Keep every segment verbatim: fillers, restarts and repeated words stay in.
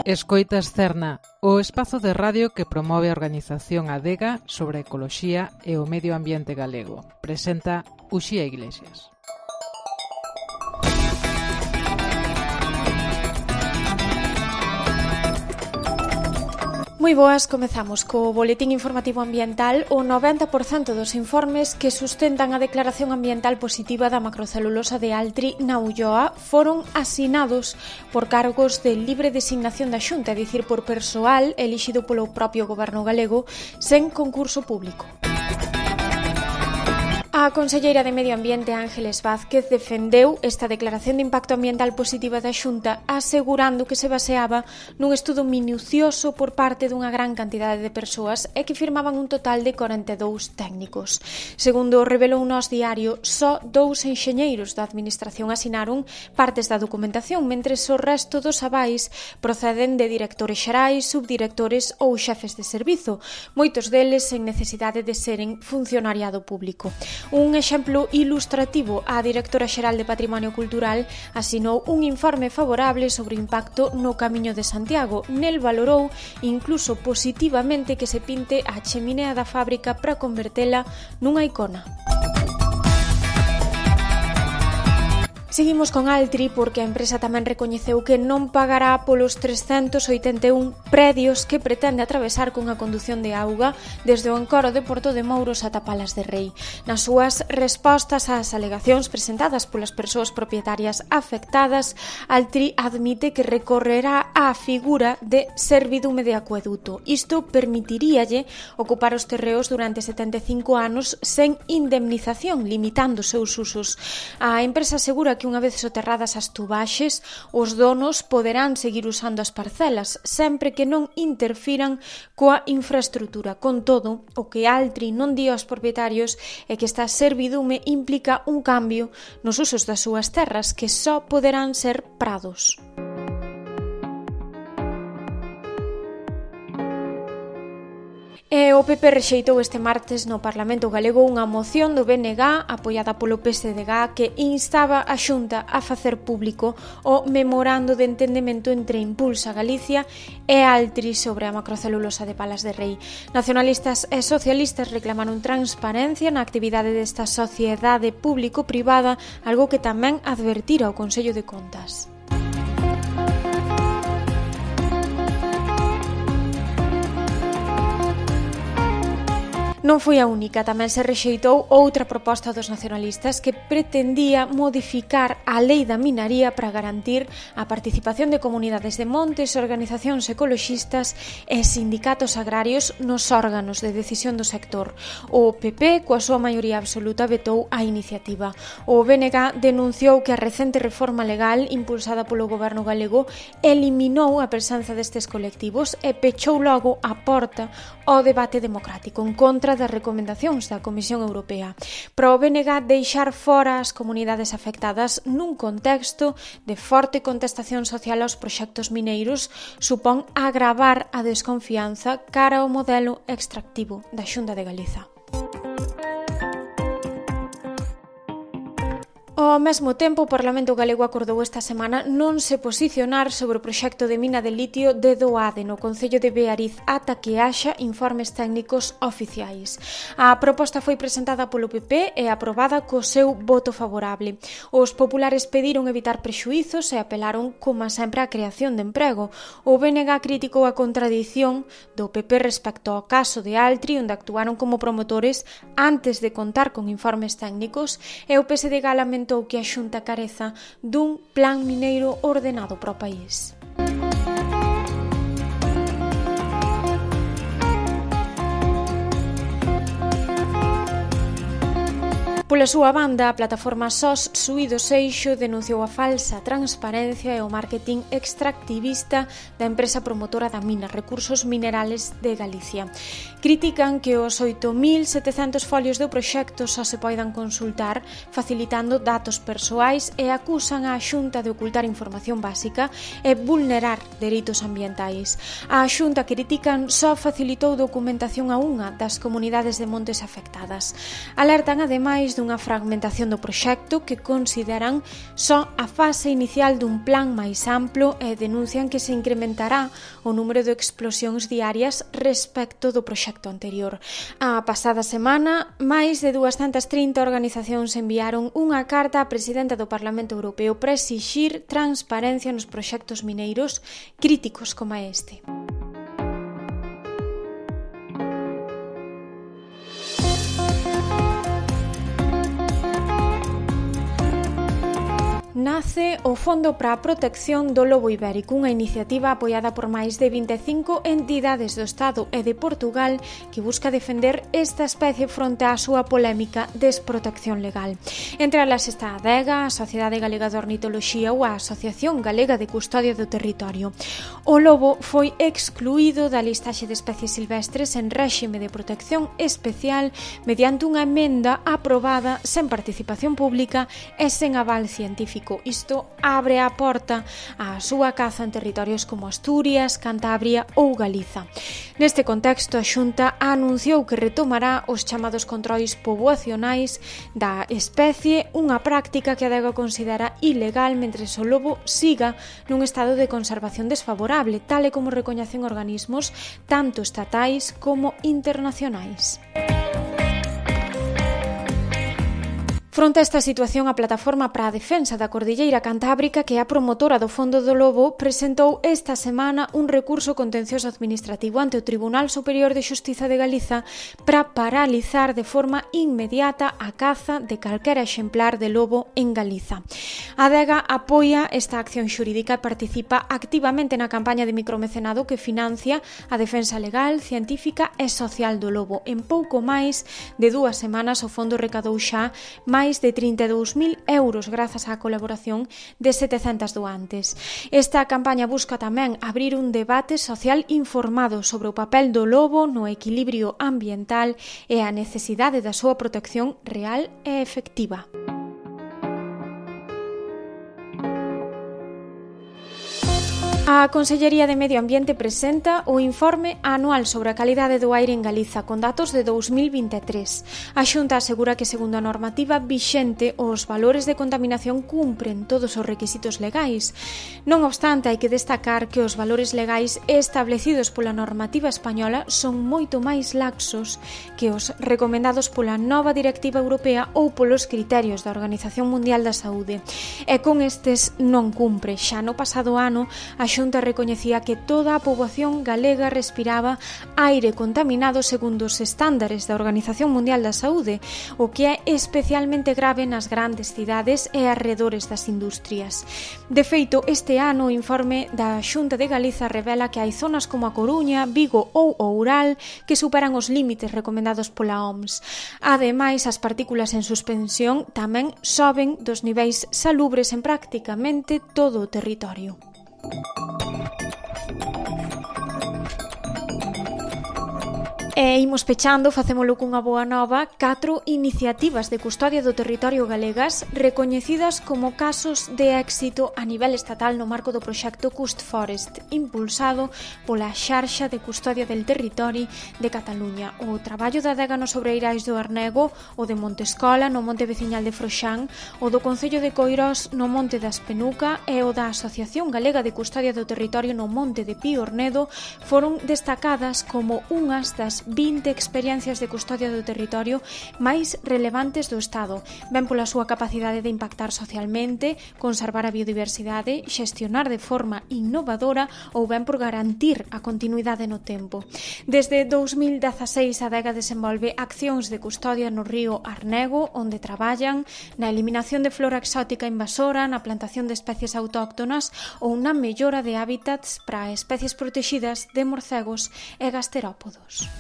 Escoitas Cerna, o espazo de radio que promove a organización Adega sobre a ecoloxía e o medio ambiente galego. Presenta Uxía Iglesias. Moi boas, comezamos co boletín informativo ambiental. O noventa por cento dos informes que sustentan a declaración ambiental positiva da macrocelulosa de Altri na Ulloa foron asinados por cargos de libre designación da Xunta, é dicir, por persoal elixido polo propio goberno galego sen concurso público. A conselleira de Medio Ambiente, Ángeles Vázquez, defendeu esta declaración de impacto ambiental positiva da Xunta, asegurando que se baseaba nun estudo minucioso por parte dunha gran cantidade de persoas e que firmaban un total de corenta e dous técnicos. Segundo revelou Nós Diario, só dous enxeñeiros da administración asinaron partes da documentación, mentres o resto dos avais proceden de directores xerais, subdirectores ou xefes de servizo, moitos deles sen necesidade de seren funcionariado público. Un exemplo ilustrativo, a directora xeral de Patrimonio Cultural asinou un informe favorable sobre o impacto no Camiño de Santiago. Nel valorou incluso positivamente que se pinte a cheminea da fábrica para convertela nunha icona. Seguimos con Altri porque a empresa tamén recoñeceu que non pagará polos trescentos oitenta e un predios que pretende atravesar cunha condución de auga desde o encoro de Porto de Mouros ata Palas de Rei. Nas súas respostas ás alegacións presentadas polas persoas propietarias afectadas, Altri admite que recorrerá á figura de servidume de acueduto. Isto permitiríalle ocupar os terreos durante setenta e cinco anos sen indemnización, limitando os seus usos. A empresa asegura que que unha vez soterradas as tubaxes, os donos poderán seguir usando as parcelas, sempre que non interfiran coa infraestrutura. Con todo, o que Altri non di aos propietarios é que esta servidume implica un cambio nos usos das súas terras, que só poderán ser prados. E o P P rexeitou este martes no Parlamento Galego unha moción do B N G apoiada polo P S D G que instaba a Xunta a facer público o memorando de entendemento entre Impulsa Galicia e Altri sobre a macrocelulosa de Palas de Rei. Nacionalistas e socialistas reclamaron transparencia na actividade desta sociedade público-privada, algo que tamén advertira o Consello de Contas. Non foi a única, tamén se rexeitou outra proposta dos nacionalistas que pretendía modificar a lei da minaría para garantir a participación de comunidades de montes, organizacións ecoloxistas e sindicatos agrarios nos órganos de decisión do sector. O P P, coa súa maioría absoluta, vetou a iniciativa. O B N G denunciou que a recente reforma legal impulsada polo goberno galego eliminou a presenza destes colectivos e pechou logo a porta ao debate democrático en contra das recomendacións da Comisión Europea. Para o B N G, deixar fora as comunidades afectadas nun contexto de forte contestación social aos proxectos mineiros supón agravar a desconfianza cara ao modelo extractivo da Xunta de Galiza. Ao mesmo tempo, o Parlamento Galego acordou esta semana non se posicionar sobre o proxecto de mina de litio de Doade no concello de Beariz ata que haxa informes técnicos oficiais. A proposta foi presentada polo P P e aprobada co seu voto favorable. Os populares pediron evitar prexuizos e apelaron, como sempre, á creación de emprego. O B N G criticou a contradición do P P respecto ao caso de Altri, onde actuaron como promotores antes de contar con informes técnicos, e o P S D G lamentou que a Xunta careza dun plan mineiro ordenado para o país. Pola súa banda, a plataforma S O S Suído Seixo denunciou a falsa transparencia e o marketing extractivista da empresa promotora da mina Recursos Minerales de Galicia. Critican que os oito mil setecentos folios do proxecto só se poidan consultar facilitando datos persoais e acusan a Xunta de ocultar información básica e vulnerar dereitos ambientais. A Xunta, critican, só facilitou documentación a unha das comunidades de montes afectadas. Alertan, ademais, dunha fragmentación do proxecto que consideran só a fase inicial dun plan máis amplo e denuncian que se incrementará o número de explosións diarias respecto do proxecto anterior. A pasada semana, máis de duascentas trinta organizacións enviaron unha carta á presidenta do Parlamento Europeo para exixir transparencia nos proxectos mineiros críticos como este. Nace o Fondo para a Protección do Lobo Ibérico, unha iniciativa apoiada por máis de vinte e cinco entidades do Estado e de Portugal que busca defender esta especie fronte á súa polémica desprotección legal. Entre elas está a ADEGA, a Sociedade Galega de Ornitoloxía ou a Asociación Galega de Custodia do Territorio. O lobo foi excluído da listaxe de especies silvestres en réxime de protección especial mediante unha emenda aprobada sen participación pública e sen aval científico. Isto abre a porta á súa caza en territorios como Asturias, Cantabria ou Galiza. Neste contexto, a Xunta anunciou que retomará os chamados controis poboacionais da especie, unha práctica que a ADEGA considera ilegal mentres o lobo siga nun estado de conservación desfavorable, tal e como recoñecen organismos tanto estatais como internacionais. Fronte a esta situación, a Plataforma para a Defensa da Cordilleira Cantábrica, que é a promotora do Fondo do Lobo, presentou esta semana un recurso contencioso administrativo ante o Tribunal Superior de Xustiza de Galiza para paralizar de forma inmediata a caza de calquera exemplar de lobo en Galiza. A ADEGA apoia esta acción xurídica e participa activamente na campaña de micromecenado que financia a defensa legal, científica e social do lobo. En pouco máis de dúas semanas, o fondo recadou xa máis máis de trinta e dous mil euros grazas á colaboración de setecentas doantes. Esta campaña busca tamén abrir un debate social informado sobre o papel do lobo no equilibrio ambiental e a necesidade da súa protección real e efectiva. A Consellería de Medio Ambiente presenta o informe anual sobre a calidade do aire en Galiza con datos de dous mil vinte e tres. A Xunta asegura que, segundo a normativa vixente, os valores de contaminación cumpren todos os requisitos legais. Non obstante, hai que destacar que os valores legais establecidos pola normativa española son moito máis laxos que os recomendados pola nova Directiva Europea ou polos criterios da Organización Mundial da Saúde. E con estes non cumpre. Xa no pasado ano, a Xunta recoñecía que toda a poboación galega respiraba aire contaminado segundo os estándares da Organización Mundial da Saúde, o que é especialmente grave nas grandes cidades e arredores das industrias. De feito, este ano o informe da Xunta de Galiza revela que hai zonas como a Coruña, Vigo ou Oural que superan os límites recomendados pola O M S. Ademais, as partículas en suspensión tamén soben dos niveis salubres en prácticamente todo o territorio. E imos pechando, facémolo cunha boa nova, catro iniciativas de custodia do territorio galegas recoñecidas como casos de éxito a nivel estatal no marco do proxecto Cust Forest, impulsado pola Xarxa de Custodia del Territori de Cataluña. O traballo da ADEGA nos Sobreirais do Arnego, o de Montescola no Monte Veciñal de Froxán, o do Concello de Coirós no Monte da Espenuca e o da Asociación Galega de Custodia do Territorio no Monte de Pío Ornedo foron destacadas como unhas das vinte experiencias de custodia do territorio máis relevantes do Estado, ben pola súa capacidade de impactar socialmente, conservar a biodiversidade, xestionar de forma innovadora ou ben por garantir a continuidade no tempo. Desde dous mil dezaseis a ADEGA desenvolve accións de custodia no río Arnego, onde traballan na eliminación de flora exótica invasora, na plantación de especies autóctonas ou na mellora de hábitats para especies protexidas de morcegos e gasterópodos.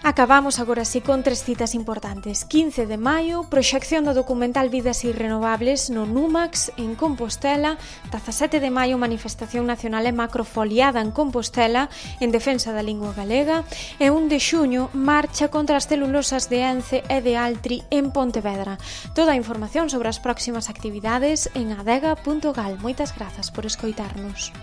Acabamos agora así con tres citas importantes. quince de maio, proxección do documental Vidas Irrenovables no Numax en Compostela. dezasete de maio, manifestación nacional e macrofoliada en Compostela en defensa da lingua galega. E un de xuño, marcha contra as celulosas de Ence e de Altri en Pontevedra. Toda a información sobre as próximas actividades en adega punto gal. Moitas grazas por escoitarnos.